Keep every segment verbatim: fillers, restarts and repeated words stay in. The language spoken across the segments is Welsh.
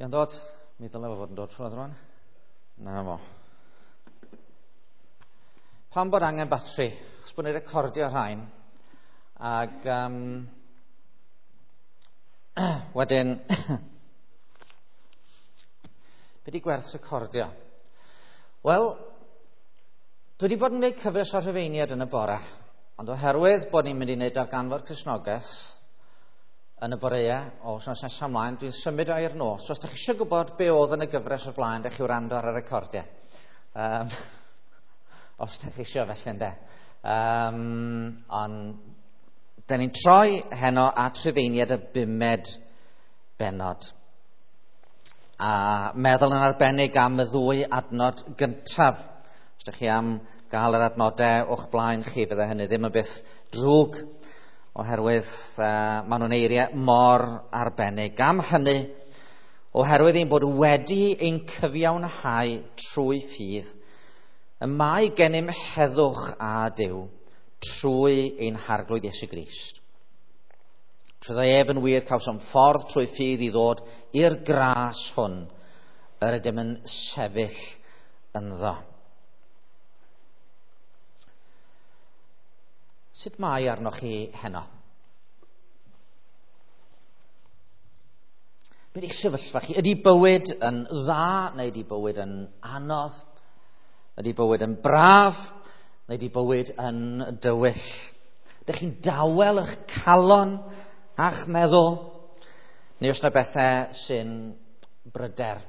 Di o'n dod? Mi ddylai fo fod yn dod trwy rwan. Na fo. Pam bod angen batri? Chos bod ni'n recordio rhain. Ac um, wedyn, be di gwerth recordio? Wel, dwi wedi bod yn gwneud cyfres o Rhufeiniaid yn y bore, ond oherwydd bod ni'n mynd i wneud darganfod Cristnogaeth yn y boreau o wythnos nesaf ymlaen, dwi'n symud o i'r nos. So, os ydych chi eisiau gwybod be oedd yn y gyfres o'r blaen, ydych chi wrando ar y recordiau. Um, os ydych chi eisiau felly, ynde. Um, ond, da ni'n troi heno at Rhufeiniaid y bumed bennod. A meddwl yn arbennig am y ddwy adnod gyntaf. Os ydych chi am gael yr adnodau o'ch blaen chi, fydde hynny ddim yn byth drwg, oherwydd uh, maen nhw'n eiriau mor arbennig. Am hynny, oherwydd ein bod wedi ein cyfiawnhau trwy ffydd, y mae gennym heddwch â Duw trwy ein Harglwydd Iesu Grist. Trwyddo ef yn wir cawsom ffordd trwy ffydd i ddod i'r gras hwn yr ydym yn sefyll ynddo. Sut mae arnoch chi heno? Be di'ch sefyllfa chi? Ydy bywyd yn dda neu ydy bywyd yn anodd? Ydy bywyd yn braf neu ydy bywyd yn dywyll? Ydych chi'n dawel eich calon a'ch meddwl? Neu oes yna bethau sy'n bryder?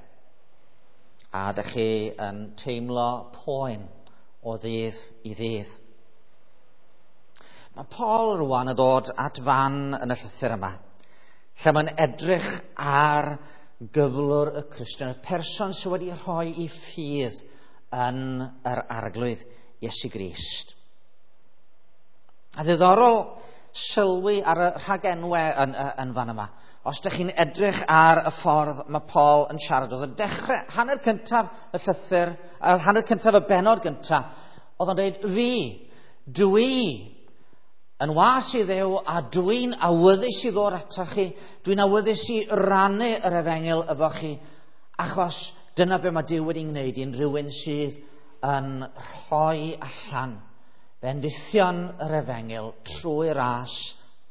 A ydych chi yn teimlo poen o ddydd i ddydd? Mae Paul rwan yn dod at fan yn y llythyr yma, lle mae'n edrych ar gyflwr y Cristion, y person sydd wedi rhoi ei ffydd yn yr Arglwydd Iesu Grist. A ddiddorol sylwi ar y rhagenwau yn, yn fan yma. Os ydych chi'n edrych ar y ffordd mae Paul yn siarad, oedd yn dechrau hanner cyntaf y llythyr, hanner cyntaf y bennod gyntaf, oedd o'n dweud, fi, dwi, yn was i Dduw, a dwi'n awyddus i ddod atoch chi, dwi'n awyddus i rannu yr efengyl efo chi, achos dyna be mae Duw wedi wneud i'n rhywun sydd yn rhoi allan bendithion yr efengyl trwy ras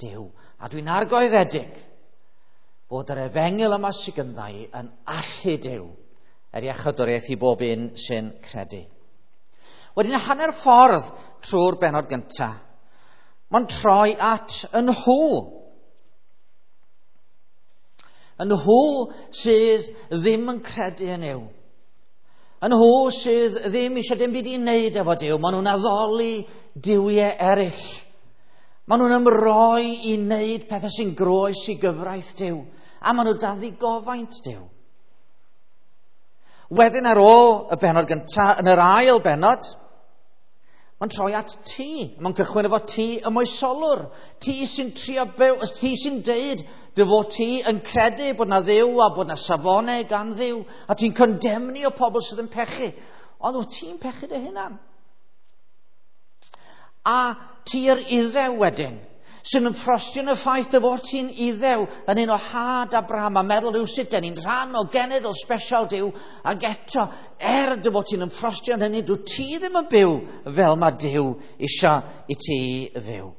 Duw. A dwi'n argoeddedig bod yr efengyl yma sydd gynddau yn allu Duw er iachawdwriaeth i bob un sy'n credu. Wedyn hanner ffordd trwy'r bennod gyntaf, mae'n troi at y nhw. Y nhw sydd ddim yn credu yn Nuw. Y nhw sydd ddim eisiau dim byd i wneud efo Duw. Maen nhw'n addoli duwiau eraill. Maen nhw'n ymroi i wneud pethau sy'n groes i gyfraith Duw. A maen nhw dan ddigofaint Duw. Wedyn ar ôl y bennod gyntaf, yn yr ail bennod, mae'n troi at ti. Mae'n cychwyn efo ti y moesolwr. Ti sy'n trio byw, ti sy'n deud dy fod ti yn credu bod na Dduw a bod na safonau gan Dduw, a ti'n condemnio pobl sydd yn pechu. Ond wyt ti'n pechu dy hunan? A ti'r Iddew wedyn, sy'n ymffrostio yn y ffaith dy fod ti'n Iddew yn un o had Abraham a meddwl yw sut den ni'n rhan o genedl special Duw, ac eto, er dy fod ti'n ymffrostio yn hynny, dwi ti ddim yn byw fel mae Duw isio i ti fyw.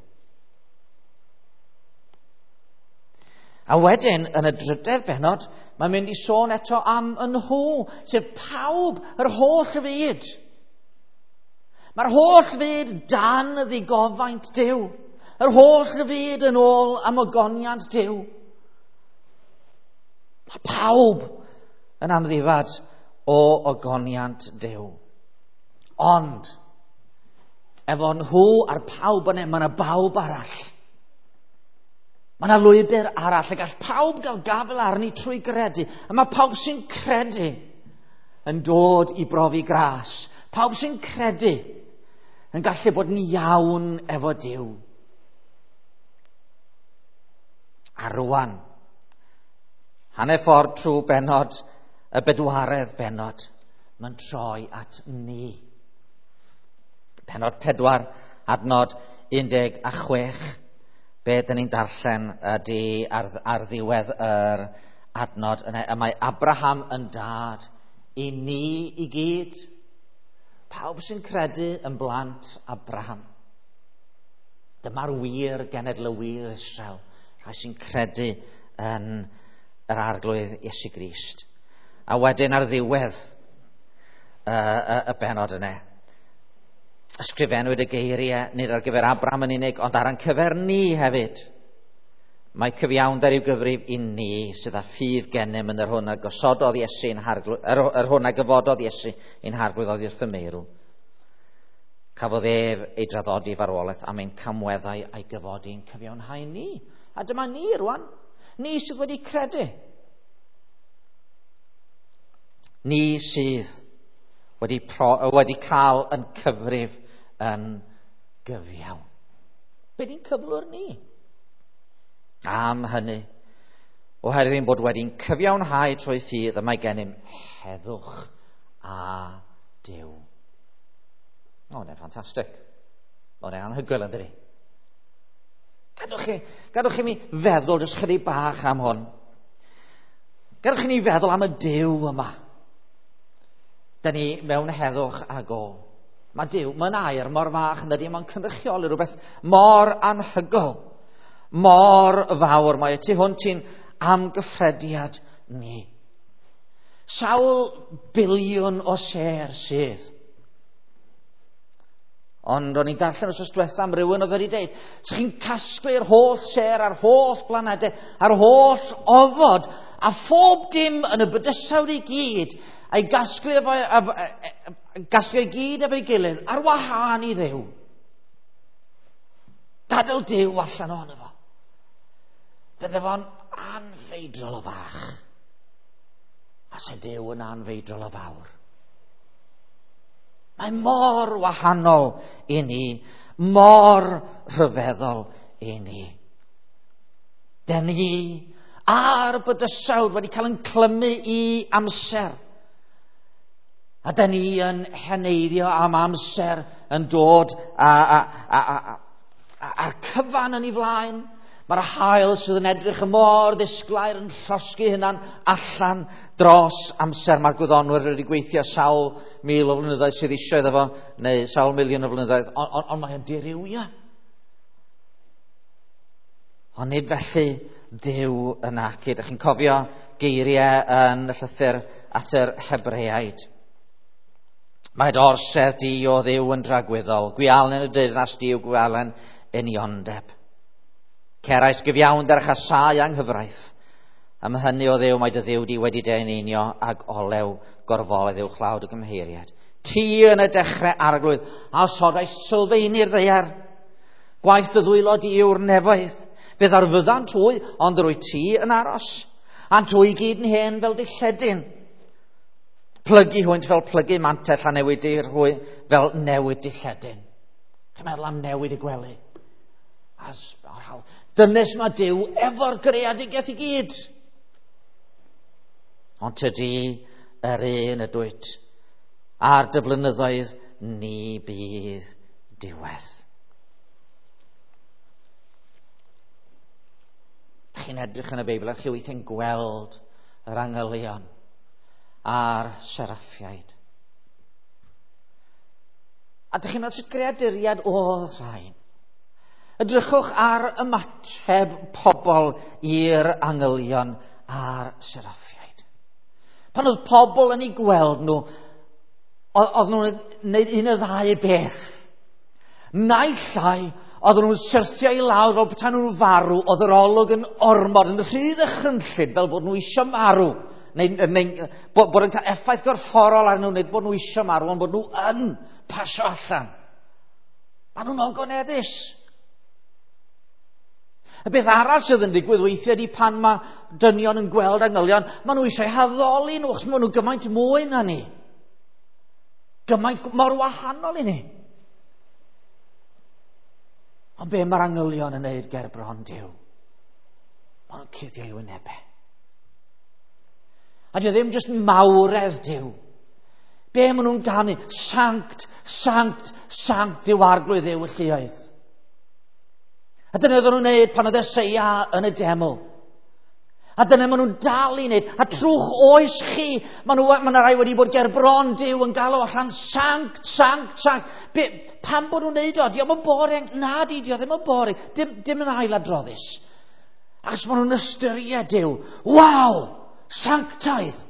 A wedyn, yn y drydedd bennod, mae'n mynd i sôn eto am y nhw, sef pawb, yr holl fyd. Mae'r holl fyd dan ddigofaint Duw. Yr holl fyd yn ôl am ogoniant Duw. Mae pawb yn amddifad o ogoniant Duw. Ond, efo nhw a'r pawb yna, mae yna bawb arall. Mae yna lwybr arall, a gall pawb gael gafael arni trwy gredu. A mae pawb sy'n credu yn dod i brofi gras. Pawb sy'n credu yn gallu bod yn iawn efo Duw. A rwan, hanner ffordd trwy bennod, y bedwaredd bennod, mae'n troi at ni. Pennod pedwar, adnod un deg a chwech. Be dyn ni'n darllen ydy ar, ar ddiwedd yr adnod yna. Y mae Abraham yn dad i ni i gyd. Pawb sy'n credu yn blant Abraham. Dyma'r wir genedl y wir Israel, rhai sy'n credu yn yr Arglwydd Iesu Grist. A wedyn ar ddiwedd y, y, y benod yna, ysgrifennwyd y geiriau nid ar gyfer Abraham yn unig, ond ar ein cyfer ni hefyd. Mae cyfiawnder i'w gyfrif i ni sydd â ffydd gennym yn yr hwn a gosododd Iesu ein harglwydd, yr, yr hwn a gyfododd Iesu ein harglwydd oddi wrth y meirw. Cafodd ef ei draddodi farwolaeth am ein camweddau a'i gyfodi ein cyfiawnhau ni. A dyma ni rwan, ni sydd wedi credu. Ni sydd wedi, pro, wedi cael yn cyfrif yn gyfiawn. Be di'n cyflwr ni? Am hynny, oherwydd ein bod wedi'n cyfiawnhau trwy ffydd, y mae gennym heddwch a Duw. O, hwnna'n ffantastig. O, hwnna'n anhygoel, yn dydi? Gadwch chi, gadwch chi mi feddwl jyst chydig bach am hwn. Gadwch chi ni feddwl am y Duw yma. Da ni mewn heddwch ag o. Mae Duw, mae'n air mor fach yn dydi, mae'n cynrychioli rhywbeth mor anhygoel, mor fawr. Mae y tu hwnt i'n amgyffrediad ni. Sawl biliwn o sêr sydd. Ond o'n i'n darllen wythnos diwetha am rywun oedd wedi dweud, sa chi'n casglu'r holl sêr a'r holl blanedau, a'r holl ofod, a phob dim yn y bydysawd i gyd, a'i gasglu efo, efo, gasglu i gyd efo'i gilydd, ar wahân i Dduw. Gadael Duw allan ohono fo. Fydde fo'n anfeidrol o fach. A se Duw yn anfeidrol o fawr. Mae mor wahanol i ni, mor rhyfeddol i ni. Den ni a'r bydysawd wedi cael yn clymu i amser. A den ni yn heneiddio am amser yn dod a, a, a, a, a, a'r cyfan yn ei flaen. Mae'r haul sydd yn edrych y mor ddisglair yn llosgi hunan allan dros amser. Mae'r gwyddonwyr wedi gweithio sawl mil o flynyddoedd sydd eisiau iddo fo, neu sawl miliwn o flynyddoedd, ond on, on mae o'n dirywio. Ond nid felly Duw yn ac. Ydych chi'n cofio geiriau yn y llythyr at yr Hebreaid. Mae dy orsedd di o Dduw yn dragwyddol, gwialen y deyrnas di yw gwialen uniondeb. Cerais gyfiawnder a chasau anghyfraith. Am hynny o Dduw mae dy Dduw di wedi dy eneinio ag olew gorfoledd uwchlaw dy gymheiriaid. Ti yn y dechrau arglwydd a osodais sylfaeni'r ddaear. Gwaith dy ddwylo di yw'r nefoedd. Fe ddarfyddant hwy, ond rwy ti yn aros. A'n hwy gyd yn hen fel dilledyn. Plygu hwynt fel plygu mantell a newidir hwy fel newid dilledyn. Chi'n meddwl am newid y gwely? Dynes mae Duw efo'r greadigaeth i gyd. Ond tydi yr un ydwyt, a'r dy flynyddoedd ni bydd diwedd. Chi'n edrych yn y Beibl a chi weithiau'n gweld yr angylion a'r seraffiaid. A dych chi'n meddwl sut greaduriad oedd rhain? Edrychwch ar ymateb pobl i'r angylion a'r seraffiaid. Pan oedd pobl yn eu gweld nhw, oedd nhw'n gwneud un o ddau beth. Naill ai, oedd nhw'n syrthio i lawr fel petai nhw'n farw, oedd yr olwg yn ormod, yn rhy ddychrynllyd fel bod nhw eisiau marw. Neu, neu bod, bod yn cael effaith gorfforol arnyn nhw, neu bod nhw eisiau marw, ond bod nhw yn pasio allan. Maen nhw'n ogoneddus. Y beth arall sydd yn digwydd weithiau ydy pan mae dynion yn gweld angylion, maen nhw eisiau haddoli nhw, achos maen nhw gymaint mwy na ni. Gymaint mor wahanol i ni. Ond be mae'r angylion yn neud ger bron Duw? Maen nhw'n cuddio i wynebau. A dio ddim jyst mawredd Duw. Be maen nhw'n ganu? Sanct, sanct, sanct yw arglwydd Dduw y lluoedd. A dyna oedden nhw'n neud pan oedd Eseia yn y deml. A dyna maen nhw'n dal i wneud. A trwch oes chi, maen nhw, maen nhw rai wedi bod ger bron Duw yn galw allan sanct, sanct, sanct. Be, pam bod nhw'n neud o? Dio'm yn boring. Na di, dio ddim yn boring. Dim, dim yn ailadroddus. Achos maen nhw'n ystyried Duw. Waw! Sanctaidd!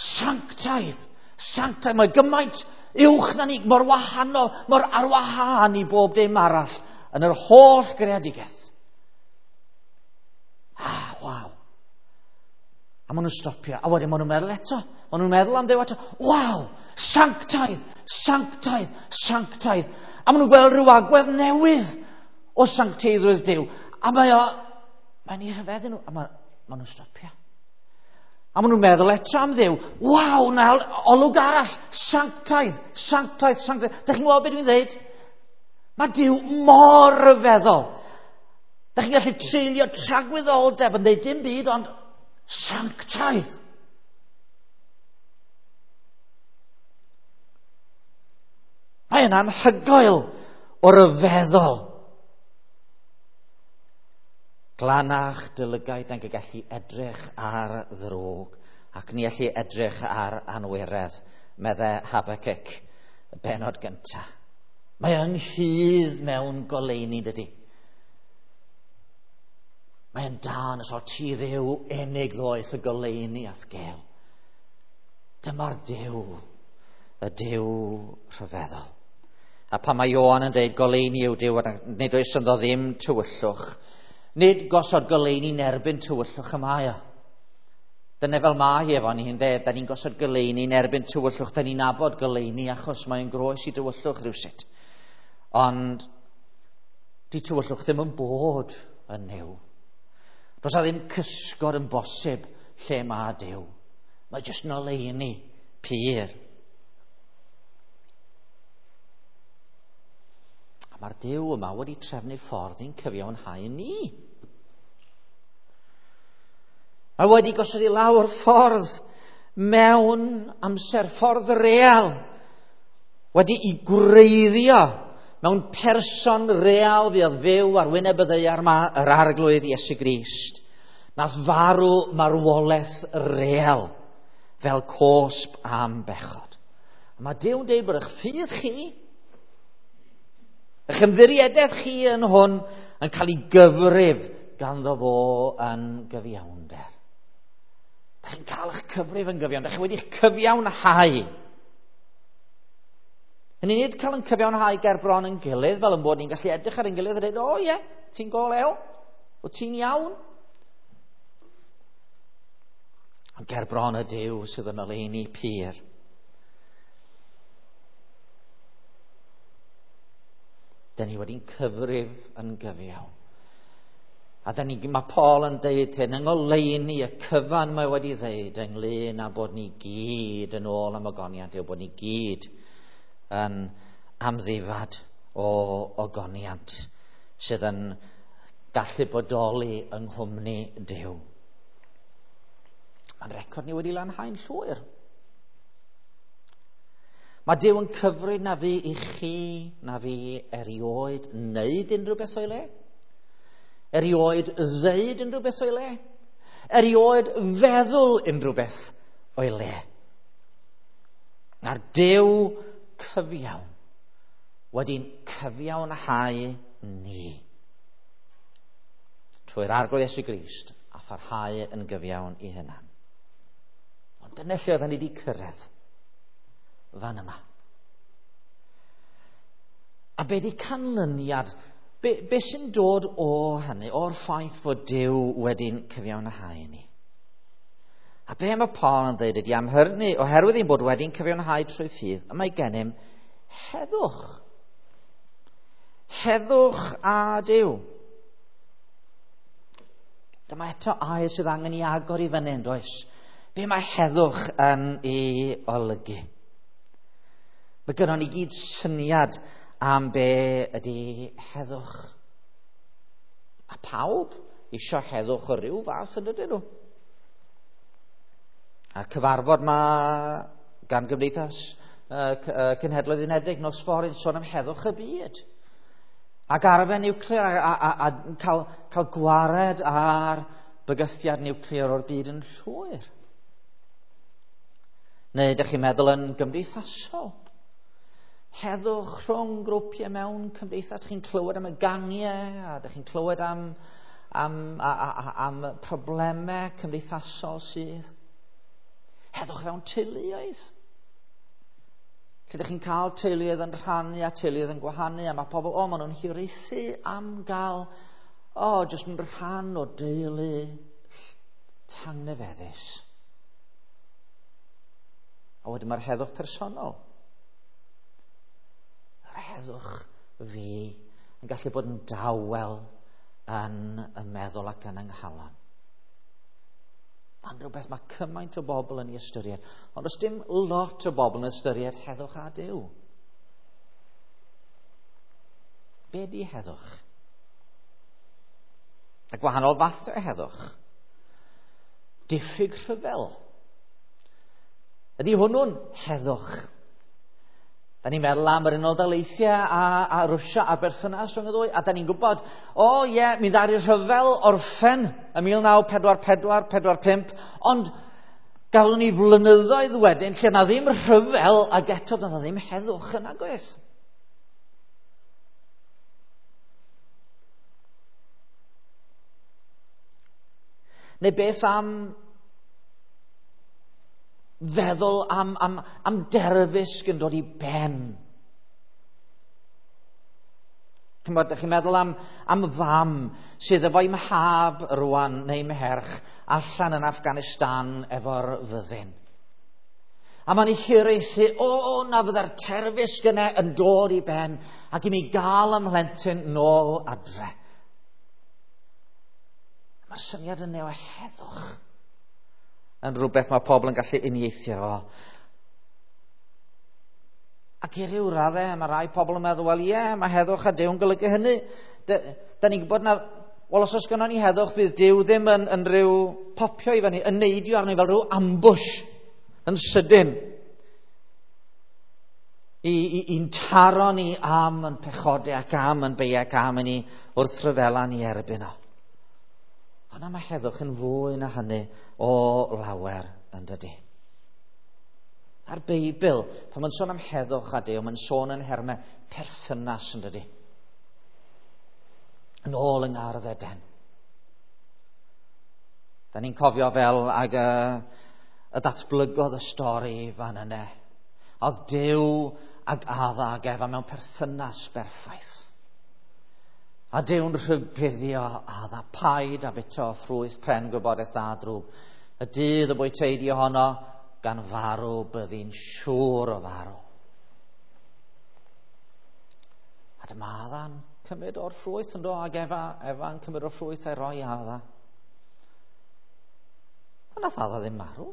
Sanctaidd! Sanctaidd! Mae gymaint uwch na ni, mor wahanol, mor arwahân i bob dim arall yn yr holl greadigaeth. Ah, waw. A maen nhw'n stopio. A wedyn maen nhw'n meddwl eto. Maen nhw'n meddwl am Dduw eto. Waw! Sanctaidd! Sanctaidd! Sanctaidd! A maen nhw'n gweld rhyw agwedd newydd o sancteiddrwydd Duw. A mae o... Mae'n eu rhyfeddu nhw. A maen, maen nhw'n stopio. A maen nhw'n meddwl eto am Dduw. Waw! Na olwg arall! Sanctaidd! Sanctaidd! Sanctaidd! Dych chi'n gweld beth dwi'n dweud? Mae Duw mor ryfeddol. Dych chi'n gallu treulio tragwyddoldeb yn dweud dim byd, ond sanctaidd. Mae yna'n anhygoel o ryfeddol. Glanach dy lygaid nag y gallu edrych ar ddrwg, ac ni allu edrych ar anwiredd, medde Habacuc, y bennod gyntaf. Mae ynghudd mewn goleuni, dydy. Mae'n dan os o ti Dduw unig ddoeth y goleuni a'th gel. Dyma'r Duw, y Duw rhyfeddol. A pan mae Ioan yn dweud goleuni yw Duw, nid oes ynddo ddim tywyllwch. Nid gosod goleuni yn erbyn tywyllwch y mae o. Dyna fel mae efo ni, ynde? Da ni'n gosod goleuni yn erbyn tywyllwch, da ni'n nabod goleuni achos mae'n groes i tywyllwch rhywsut. Ond di tywyllwch ddim yn bod yn Nuw. Does na ddim cysgod yn bosib lle mae Duw. Mae jyst yn oleuni pur. A mae'r Duw yma wedi trefnu ffordd i'n cyfiawnhau ni. Mae wedi gosod i lawr ffordd mewn amser, ffordd real, wedi'i gwreiddio mewn person real fuodd fyw ar wyneb y ddaear yma, yr Arglwydd Iesu Grist. Nath farw marwolaeth real fel cosb am bechod. A mae Duw'n dweud bod eich ffydd chi, eich ymddiriedaeth chi yn hwn yn cael ei gyfrif ganddo fo yn gyfiawnder. Da chi'n cael eich cyfrif yn gyfiawn, da chi wedi'ch cyfiawnhau. Hynny nid cael yn cyfiawnhau ger bron yn gilydd, fel yn bod ni'n gallu edrych ar ein gilydd a dweud, o ie, ti'n go lew, o ti'n iawn. Ond ger bron y Duw sydd yn oleuni pur. Da ni wedi'n cyfrif yn gyfiawn. A da ni, mae Paul yn deud hyn, yng ngoleuni y cyfan mae wedi ddeud ynglyn â bod ni gyd yn ôl am ogoniant, yw bod ni gyd yn amddifad o ogoniant sydd yn gallu bodoli yng nghwmni Duw. Mae'n record ni wedi lanhau'n llwyr. Mae Duw yn cyfri na fi i chi, na fi erioed wneud unrhyw beth o'i le, erioed ddeud unrhyw beth o'i le, erioed feddwl unrhyw beth o'i le. Na'r Duw cyfiawn wedi'n cyfiawnhau ni trwy'r Arglwydd Iesu Grist a pharhau yn gyfiawn i hunan. Ond dyna lle oedden ni wedi cyrraedd fan yma. A be di canlyniad, be, be sy'n dod o hynny, o'r ffaith fod Duw wedi'n cyfiawnhau ni? A be mae Paul yn dweud ydy am hynny, oherwydd ein bod wedi'n cyfiawnhau trwy ffydd, y mae gennym heddwch. Heddwch â Duw. Dyma eto air sydd angen i agor i fyny, yn does? Be mae heddwch yn ei olygu? Mae gynnon ni gyd syniad am be ydy heddwch. A pawb isio heddwch o ryw fath yn ydyn nhw. A cyfarfod ma gan Gymdeithas uh, Cenhedloedd Unedig nos fory yn sôn am heddwch y byd. Ac arfer niwclear a, a, a, a cael, cael gwared ar bygythiad niwclear o'r byd yn llwyr. Neu ydych chi'n meddwl yn gymdeithasol? Heddwch rhwng grwpiau mewn cymdeithas. Ydych chi'n clywed am y gangiau, a ydych chi'n clywed am, am, a, a, am problemau cymdeithasol sydd. Heddwch fewn teuluoedd. Lle ydych chi'n cael teuluoedd yn rhannu a teuluoedd yn gwahanu, a mae pobl, o, maen nhw'n hiraethu am gael, o, jyst yn rhan o deulu tangnefeddus. A wedyn mae'r heddwch personol. Yr heddwch fi yn gallu bod yn dawel yn y meddwl ac yn yng nghalon. Mae'n rhywbeth mae cymaint o bobl yn ei ystyried, ond does dim lot o bobl yn ystyried heddwch a Duw. Be di heddwch? A gwahanol fath o heddwch. Diffyg rhyfel. Ydy hwnnw'n heddwch? Da ni'n meddwl am yr Unol Daleithiau a, a Rwsia a'r berthynas rhwng y ddwy, a da ni'n gwybod, o ie, yeah, mi ddaru rhyfel orffen ym mil naw pedwar pedwar, pedwar pump, ond gafon ni flynyddoedd wedyn lle na ddim rhyfel ac eto na ddim heddwch yn agos. Neu beth am feddwl am, am, am derfysg yn dod i ben. Chimod, ydych chi'n meddwl am, am fam sydd efo'i mhab rwan neu mherch allan yn Afghanistan efo'r fyddin. A mae'n ei hiraethu, o, na fydda'r terfysg yna yn dod i ben ac i mi gael ymhlentyn nôl adre. Mae'r syniad yna o heddwch yn rhywbeth mae pobl yn gallu uniaethu efo. Ac i ryw raddau, mae rai pobl yn meddwl, wel ie, mae heddwch a Duw yn golygu hynny. Da, da ni'n gwybod na, wel os oes gynnon ni heddwch, fydd Duw ddim yn, yn rhyw popio i fyny, yn neidio arni fel rhyw ambush yn sydyn. I, i, i'n taro ni am yn pechodau ac am yn beiau ac am yn ni wrth rhyfela ni erbyn o. Ond mae heddwch yn fwy na hynny o lawer yn dydy. A'r Beibl, pan mae'n sôn am heddwch a Duw, mae'n sôn yn hermau perthynas yn dydy. Yn ôl yng Ngardd Eden. Da ni'n cofio fel ag y, y datblygodd y stori fan yna. Oedd Duw ag Adda ag Efa mewn perthynas berffaith. A Duw'n rhybuddio Adda, paid a bwyta o ffrwyth pren gwybodaeth da drwg. Y dydd y bwytei di ohono, gan farw byddi'n siŵr o farw. A dyma Adda'n cymryd o'r ffrwyth yn do, ac Efa, Efa'n cymryd o'r ffrwyth a'i roi Adda. A nath Adda ddim marw.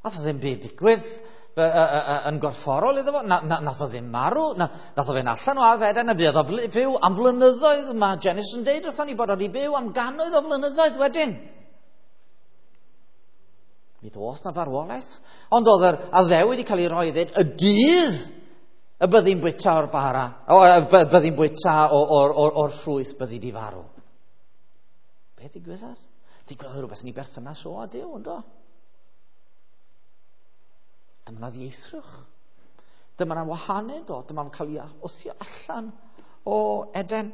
Nath o ddim byd digwydd yn gorfforol iddo fo, na, na, nath o ddim marw, na, nath o fynd allan o Ardd Eden a buodd o fyw am flynyddoedd. Mae Genesis yn deud wrthon ni bod o wedi byw am gannoedd o flynyddoedd wedyn. Mi ddoth na farwolaeth, ond oedd yr addewid wedi cael ei roi ddweud y dydd y byddi'n bwyta o'r bara, o, byddi'n bwyta o'r, or, or ffrwyth byddi di farw. Beth ddigwyddodd? Digwyddodd rhywbeth yn ei berthynas o a Duw, yndo? Dyma na ddieithrwch. Dyma na wahanu, do. Dyma na'n cael ei wthio allan o Eden.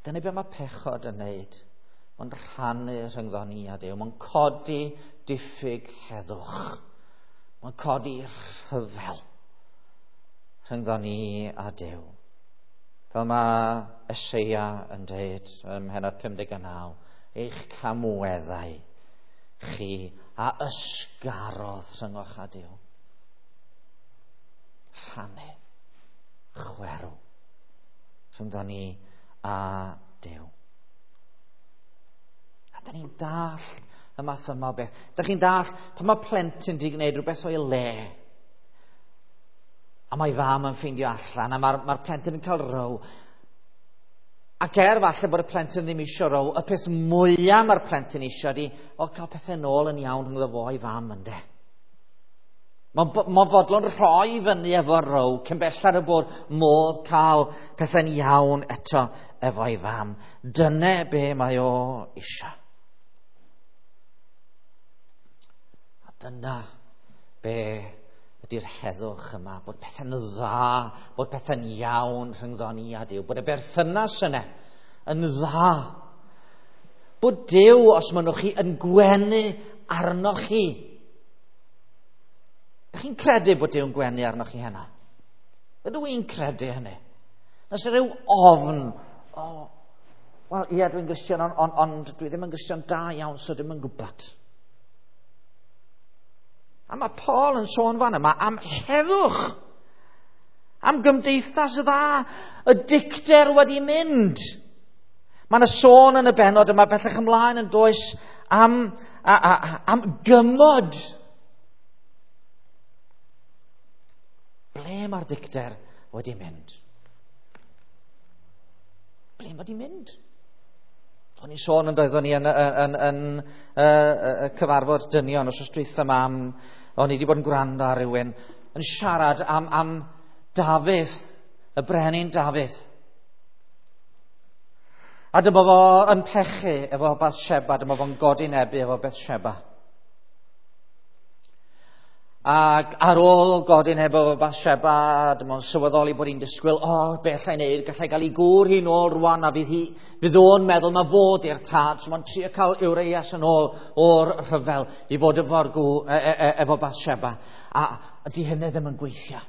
Dyna be mae pechod yn neud. Mae'n rhannu rhyngddo ni a Duw. Mae'n codi diffyg heddwch. Mae'n codi rhyfel rhyngddo ni a Duw. Fel mae Eseia yn deud ym mhennod pum deg naw, eich camweddau chi a ysgarodd rhyngoch a Duw. Rhannu, chwerw, rhyngddo ni a Duw. A da ni'n dallt y math yma o beth. Da chi'n dallt pan mae plentyn di gwneud rhywbeth o'i le, a mae fam yn ffeindio allan, a mae'r mae plentyn yn cael row. Ac er falle bod y plentyn ddim isio row, y peth mwyaf mae'r plentyn isio di, o, cael pethau nôl yn iawn rhyngddo fo a'i fam, ynde. Mae'n ma fodlon rhoi fyny efo row, cyn belled y bod modd cael pethau'n iawn eto efo'i fam. Dyna be mae o isio. A dyna be ydy'r heddwch yma, bod pethau'n dda, bod pethau'n iawn rhyngddo ni a Duw, bod y berthynas yna yn dda. Bod Duw, os mynnwch chi, yn gwenu arnoch chi. Dych chi'n credu bod Duw'n gwenu arnoch chi heno? Ydw i'n credu hynny? Nes rhyw ofn, oh, wel, ie, dwi'n Gristion, ond on, on, dwi ddim yn Gristion da iawn, so ddim yn gwybod. A mae Paul yn sôn fan yma am heddwch, am gymdeithas dda, y dicter wedi mynd. Mae yna sôn yn y bennod yma bellach ymlaen yn does am, a, a, am gymod. Ble mae'r dicter wedi mynd? Ble mae wedi mynd? O'n i'n sôn yn doeddwn i yn, yn, yn, yn, yn y cyfarfod dynion os oes dwytha yma am, o'n i wedi bod yn gwrando ar rhywun yn siarad am, am Dafydd, y brenin Dafydd. A dyma fo yn pechu efo Bathsheba, dyma fo'n godinebu efo Bathsheba. Ac ar ôl godineb efo Bathsheba, dyma o'n sylweddoli bod hi'n disgwyl, o, oh, be allai wneud, gallai gael ei gŵr hi'n ôl rwan, a fydd hi, fydd o'n meddwl mae fod i'r tad, so mae'n trio cael Urias yn ôl o'r rhyfel i fod efo'r gw, e, e, e, efo Bathsheba. A, a di hynny ddim yn gweithio.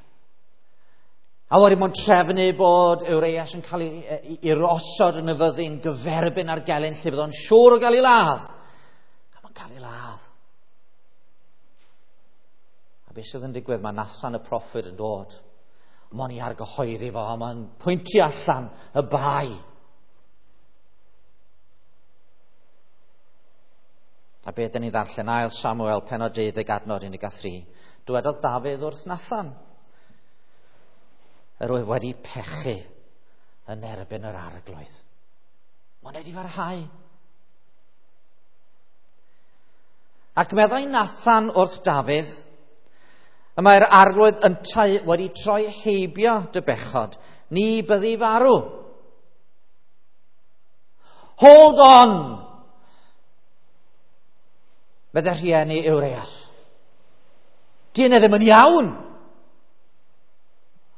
A wedyn mae'n trefnu bod Urias yn cael ei, ei, ei osod yn y fyddin gyferbyn ar gelyn lle fydd o'n siŵr o gael ei ladd. A mae'n cael ei ladd. A beth sydd yn digwydd, mae Nathan y proffwyd yn dod. Mae'n ei argyhoeddi fo, a mae'n pwyntio allan y bai. A beth dyn ni ddarllen, ail Samuel, pennod deuddeg adnod un deg tri. Dywedodd Dafydd wrth Nathan, yr oedd wedi pechu yn erbyn yr arglwydd. Mae'n wedi farhau. Ac meddai Nathan wrth Dafydd, y mae'r arglwydd yntau wedi troi heibio dy bechod, ni byddi farw. Hold on! Meddai rhieni Urias. Di hynny ddim yn iawn.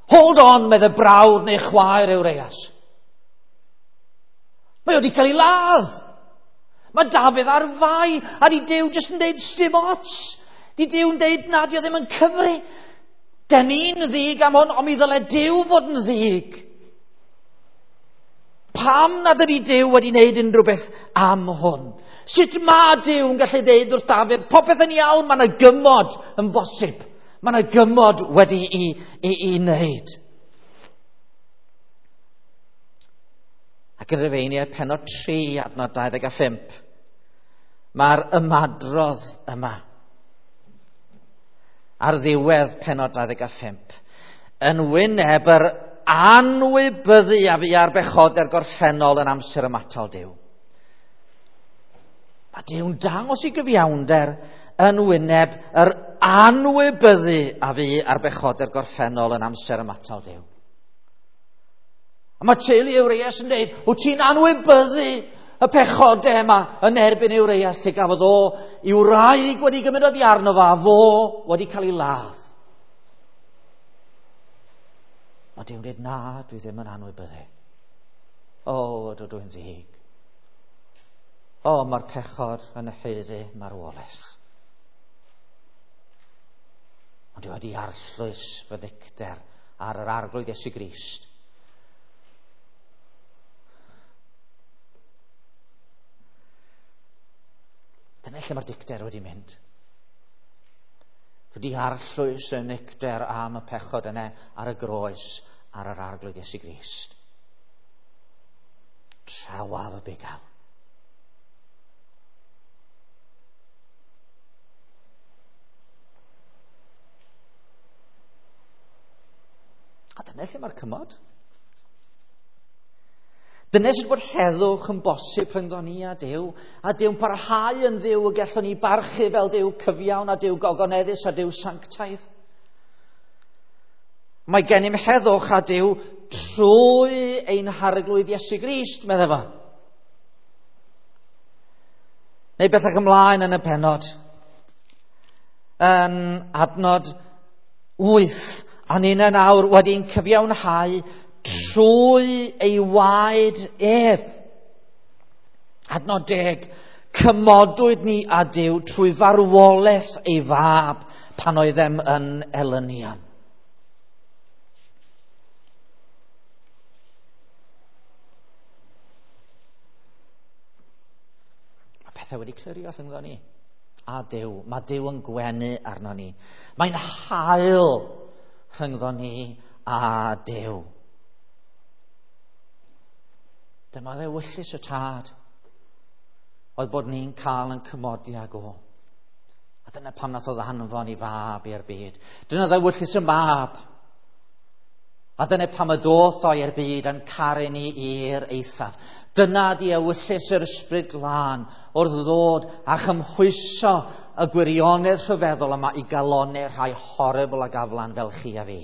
Hold on, meddai brawd neu chwaer Urias. Mae wedi cael ei ladd. Mae Dafydd ar fai, a di Duw jyst yn deud sdim ots. Di Duw'n deud na, di o ddim yn cyfri. Den ni'n ddig am hwn, ond mi ddyle Duw fod yn ddig. Pam nad ydi Duw wedi wneud unrhyw beth am hwn? Sut mae Duw yn gallu deud wrth Dafydd, popeth yn iawn, mae yna gymod yn bosib. Mae yna gymod wedi i, i, i wneud. Ac yn Rhufeiniau pennod tri, adnod dau ddeg a phump, mae'r ymadrodd yma. Ar ddiwedd pennod dau ddeg a phump, yn wyneb yr anwybyddu a fu ar bechodau'r gorffennol yn amser ymatal Duw. Mae Duw'n dangos i gyfiawnder yn wyneb yr anwybyddu a fu ar bechodau'r gorffennol yn amser ymatal Duw. A mae teulu Urias yn dweud, wyt ti'n anwybyddu y pechodau yma yn erbyn Urias lle gafodd o i'w wraig wedi gymryd oddi arno fo a fo wedi cael ei ladd. Mae Duw'n dweud, na, dwi ddim yn anwybyddu. O, ydw dwi'n ddig. O, mae'r pechod yn haeddu marwolaeth. Ond dwi wedi arllwys fy ddicter ar yr arglwydd Iesu Grist. Dyna lle mae'r dicter wedi mynd. Wedi arllwys y nicter am y pechod yna ar y groes ar yr arglwydd Iesu Grist. Trawaf y bugail. A dyna lle mae'r cymod. Dyna sut bod heddwch yn bosib rhyngddo ni a Duw, a Duw'n parhau yn Dduw y gallwn ni barchu fel Duw cyfiawn a Duw gogoneddus a Duw sanctaidd. Mae gennym heddwch a Duw trwy ein Harglwydd Iesu Grist, meddai fo. Neu bellach ymlaen yn y pennod. Yn adnod wyth, a ninnau nawr wedi'n cyfiawnhau trwy ei waed ef. Adnod deg, cymodwyd ni â Duw trwy farwolaeth ei fab pan oeddem yn elynion. Mae pethau wedi clirio rhyngddo ni a Duw. Mae Duw yn gwenu arno ni. Mae'n hael rhyngddo ni a Duw. Dyma ddewyllys y Tad oedd bod ni'n cael yn cymodi ag o. A dyna pam nath o ddanfon i fab i'r byd. Dyna ddewyllys y mab. A dyna pam y doth o i'r byd yn caru ni i'r eithaf. Dyna di ewyllys yr Ysbryd Glân wrth ddod a chymhwyso y gwirionedd rhyfeddol yma i galonnau rhai horrible ag aflan fel chi a fi.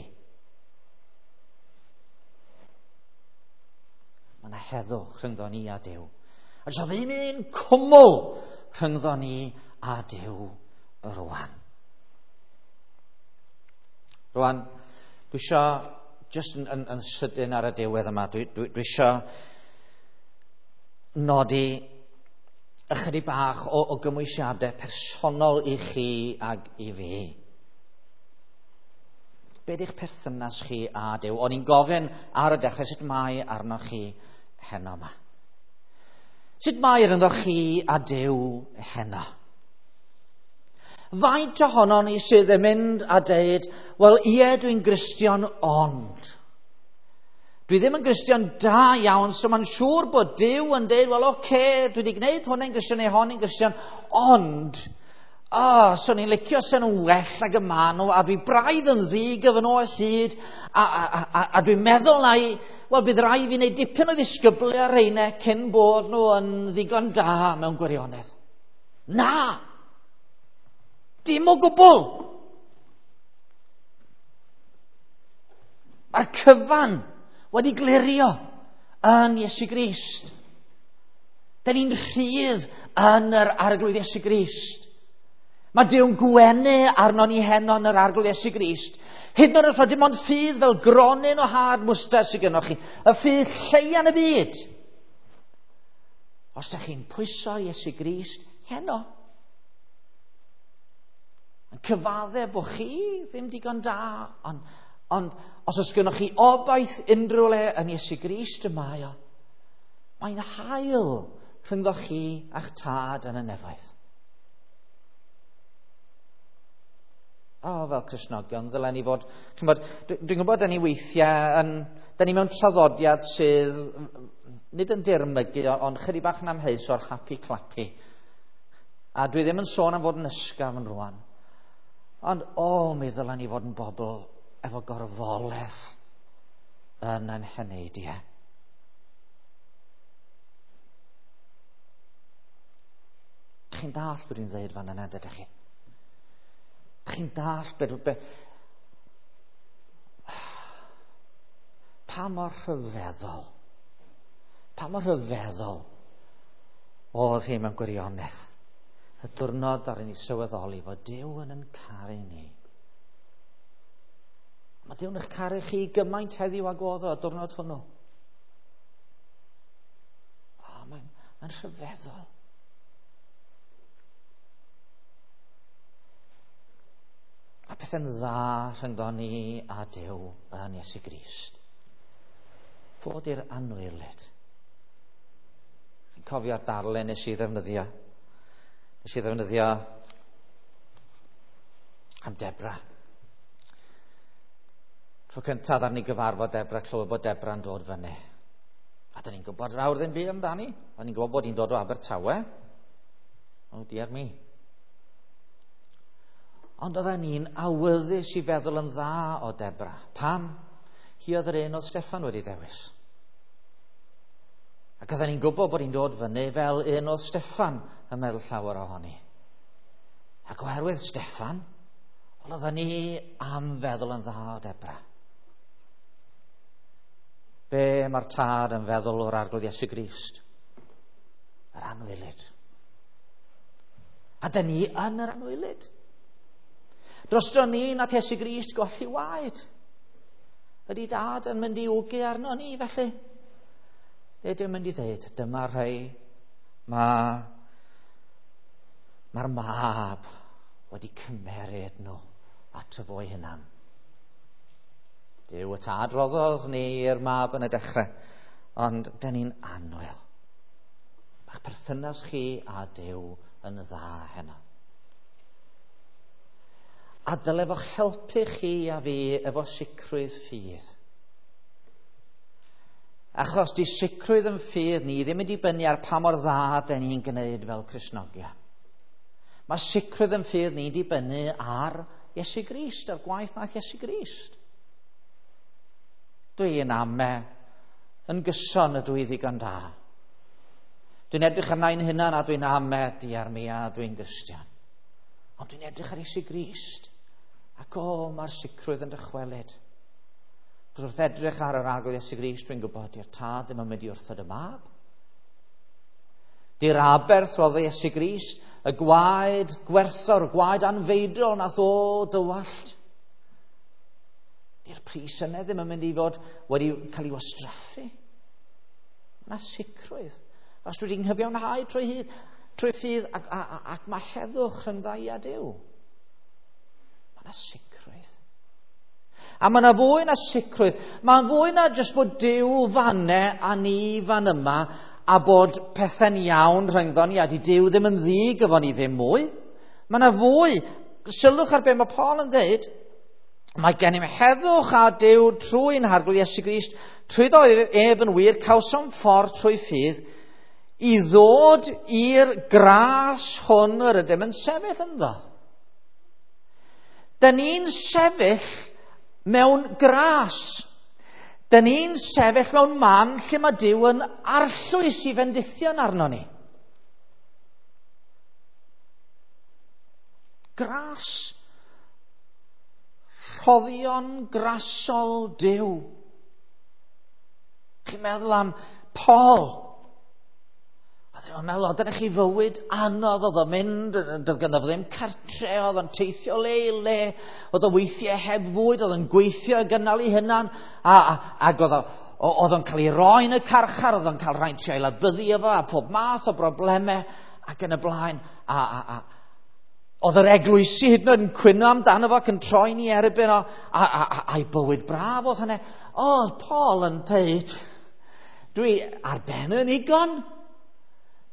Mae yna heddwch rhyngddo ni a Duw. A does ddim un cwmwl rhyngddo ni a Duw rwan. Rwan, dwi isio, just yn, yn, yn sydyn ar y diwedd yma, dwi, dwi, dwi isio nodi ychydig bach o, o gymwysiadau personol i chi ag i fi. Be di'ch perthynas chi a Duw? O'n i'n gofyn ar y dechrau sut mae arnoch chi heno yma. Sut mae rhyngddo chi a Duw heno? Faint ohonon ni sydd yn mynd a deud, wel ie, dwi'n Gristion, ond dwi ddim yn Gristion da iawn, so mae'n siŵr bod Duw yn deud, wel oce, okay, dwi wedi gwneud hwn yn Gristion neu hon yn Gristion, ond, o, oh, so ni'n licio sen nhw'n well ag y maen nhw, a dwi braidd yn ddig efo nhw o hyd, a, a, a, a dwi'n meddwl na i, wel bydd rhaid fi wneud dipyn o ddisgyblu ar rheina cyn bod nhw yn ddigon da mewn gwirionedd. Na! Dim o gwbl! Mae'r cyfan wedi glirio yn Iesu Grist. Da ni'n rhydd yn yr Arglwydd Iesu Grist. Mae Duw'n gwenu arno ni heno yn yr Arglwydd Iesu Grist. Hyd yn oed os mae dim ond ffydd fel gronyn o had mwstard sydd gennoch chi, y ffydd lleia yn y byd. Os ydych chi'n pwyso Iesu Grist heno, yn cyfadde bod chi ddim digon da, ond, ond os oes gennoch chi obaith unrhyw le yn Iesu Grist y mae o, mae'n hael rhyngddo chi a'ch tad yn y nefoedd. O, oh, fel Cristnogion, ddylen ni fod... Ch'mod, dwi'n gwybod da ni weithiau, yn, da ni mewn traddodiad sydd nid yn dirmygu, ond chydig bach yn amheus o'r happy clappy. A dwi ddim yn sôn am fod yn ysgafn rwan. Ond, o, oh, mi ddylen ni fod yn bobl efo gorfoledd yn ein heneidiau. Chi'n dallt beth dwi'n dweud fan yna, dydych chi? Chi'n dallt beth... Be, pa mor rhyfeddol, pa mor rhyfeddol oedd hi mewn gwirionedd. Y diwrnod ar ni sylweddoli fod Duw yn yn caru ni. Mae Duw yn eich caru chi gymaint heddiw ag oedd o y diwrnod hwnnw. O, mae'n mae rhyfeddol. Mae pethau'n dda rhyngddo ni a Duw yn Iesu Grist. Fod i'r anwylyd. Chi'n cofio'r darlun nes i ddefnyddio. Nes i ddefnyddio am Debra. Tro cyntaf ar ni gyfarfod Debra, clywed bod Debra'n dod fyny. A dyn ni'n gwybod fawr ddim byd amdani. O'n ni'n gwybod bod hi'n dod o Abertawe. Oh dear me. Ond oedden ni'n awyddus i feddwl yn dda o Debra. Pam? Hi oedd yr un oedd Steffan wedi dewis. Ac oedden ni'n gwybod bod hi'n dod fyny fel un oedd Steffan yn meddwl llawer ohoni. Ac oherwydd Steffan, wel oedden ni am feddwl yn dda o Debra. Be mae'r tad yn feddwl o'r Arglwydd Iesu Grist? Yr anwylyd. A dyn ni yn yr anwylyd. Drosto ni nath Iesu Grist golli waed. Ydy dad yn mynd i wgu arno ni felly? Ydy yn mynd i ddeud, dyma rhai mae mae'r mab wedi cymeryd nhw ato fo'i hunan. Duw y tad roddodd ni i'r mab yn y dechrau, ond dyn ni'n annwyl. Mae'ch perthynas chi a Duw yn dda heno. A dyle fo'ch helpu chi a fi efo sicrwydd ffydd. Achos di sicrwydd yn ffydd ni ddim yn dibynnu ar pa mor dda dyn ni'n gwneud fel Cristnogion. Mae sicrwydd yn ffydd ni'n dibynnu ar Iesu Grist, ar gwaith nath Iesu Grist. Dwi'n ame yn gyson ydw i ddigon da. Dwi'n edrych arna i'n hunan a dwi'n ame diar mi a dwi'n Gristion. Ond dwi'n edrych ar Iesu Grist ac o, mae'r sicrwydd yn dychwelyd. Cos wrth edrych ar yr Arglwydd Iesu Grist, dwi'n gwybod di'r tad ddim yn mynd i wrthod y mab. Di'r aberth roddodd Iesu Grist, y gwaed gwerthfawr, y gwaed anfeidrol nath o dywallt. Di'r pris yna ddim yn mynd i fod wedi cael ei wastraffu. Mae yna sicrwydd. Os dwi wedi nghyfiawnhau trwy hyd, trwy ffydd ac, ac, ac mae heddwch rhyngdda i a Duw. Mae yna sicrwydd. A mae yna fwy na sicrwydd. Mae'n fwy na jyst bod Duw fanne a ni fan yma a bod pethau'n iawn rhyngddo ni a di Duw ddim yn ddig efo ni ddim mwy. Mae yna fwy. Sylwch ar be mae Paul yn dweud. Mae gennym heddwch a Duw trwy'n Harglwydd Iesu Grist, trwyddo ef yn wir, cawsom ffordd trwy ffydd i ddod i'r gras hwn yr ydym yn sefyll ynddo. Dyn ni'n sefyll mewn gras. Dyn ni'n sefyll mewn man lle mae Duw yn arllwys i fendithion arno ni. Gras. Rhoddion grasol Duw. Chi'n meddwl am Paul? Oedd o'n meddwl, dyna chi fywyd anodd, oedd o'n mynd, doedd ganddo fo ddim cartre, oedd o'n teithio le i le, oedd o weithiau heb fwyd, oedd o'n gweithio i gynnal ei hunan, a, a, ac oedd oedd o'n cael ei roi yn y carchar, oedd o'n cael rhaid trio ei labyddu efo, a pob math o broblemau, ac yn y blaen, a, a, a oedd yr eglwysi hyd yn oed yn cwyno amdano fo ac yn troi ni erbyn o, a, a, a, a'i bywyd braf oedd hynny. Oedd Paul yn dweud, dwi ar ben yn ugon.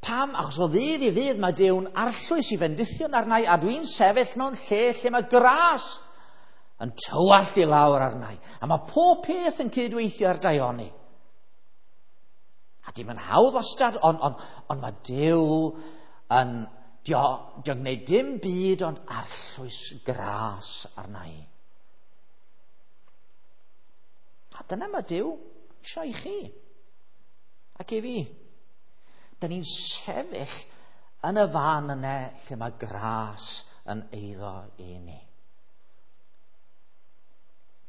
Pam? Achos o ddydd i ddydd mae Duw'n arllwys i fendithion arna i, a dwi'n sefyll mewn lle lle mae gras yn tywallt i lawr arna i. A mae pob peth yn cydweithio ar daioni. A dim yn hawdd wastad, ond on, on mae Duw yn dio, dio'n gwneud dim byd ond arllwys gras arna i. A dyna mae Duw eisiau i chi ac i fi. Dyn ni'n sefyll yn y fan yna lle mae gras yn eiddo i ni.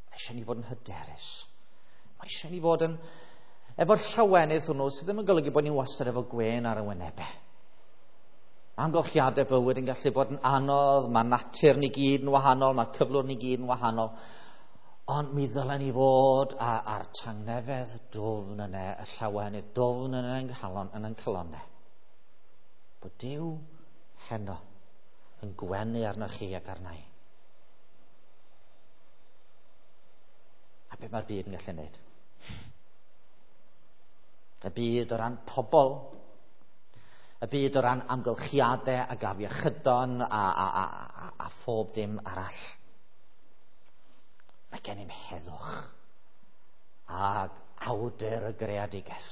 Mae eisiau ni fod yn hyderus. Mae eisiau ni fod yn efo'r llawenydd hwnnw sydd ddim yn golygu bod ni'n wastad efo gwên ar y wynebau. Mae amgylchiadau bywyd yn gallu bod yn anodd, mae natur ni gyd yn wahanol, mae cyflwr ni gyd yn wahanol. Ond mi ddylen ni fod a'r tangnefedd dwfn yna, y llawenydd dwfn yna yn calon, yn ein calonnau. Bod Duw heno yn gwenu arnoch chi ac arna i. A be mae'r byd yn gallu wneud? Y byd o ran pobl, y byd o ran amgylchiadau ac afiechydon a, a, a, a, a phob dim arall. Mae gennym heddwch ag awdur y greadigaeth.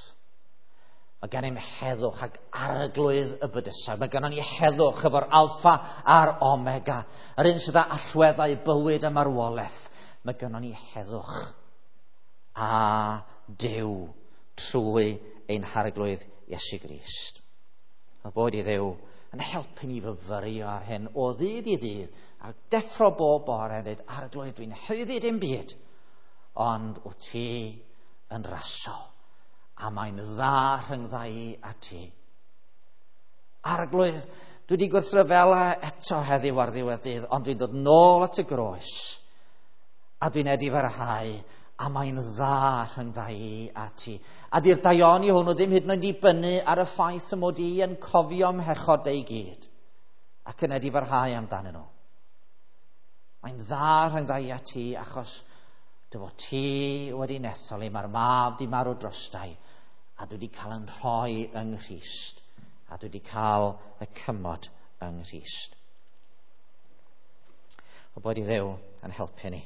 Mae gennym heddwch ag arglwydd y bydysawd. Mae gennym ni heddwch efo'r alffa a'r omega, yr un sydd â allweddau bywyd a marwolaeth. Mae gennym ni heddwch a Duw trwy ein Harglwydd Iesu Grist. A bod i Dduw yn helpu ni fyfyrio ar hyn o ddydd i ddydd, a deffro bob bore a dweud, Arglwydd, dwi'n haeddu dim byd, ond wyt ti yn rasol, a mae'n dda rhyngdda i a ti. Arglwydd, dwi wedi gwrthryfela eto heddiw ar ddiwedd dydd, ond dwi'n dod nôl at y groes, a dwi'n edifarhau, a mae'n dda rhyngdda i a ti. A di'r daioni hwnnw ddim hyd yn oed dibynnu ar y ffaith y mod i yn cofio mhechod ei gyd, ac yn edifarhau amdanyn nhw. Mae'n dda rhyngdda i a ti, achos dy fod ti wedi nethol i, mae'r mab di marw drostai, a dwi wedi cael yn rhoi yng Nghrist, a dwi wedi cael y cymod yng Nghrist. O bod i Dduw yn helpu ni.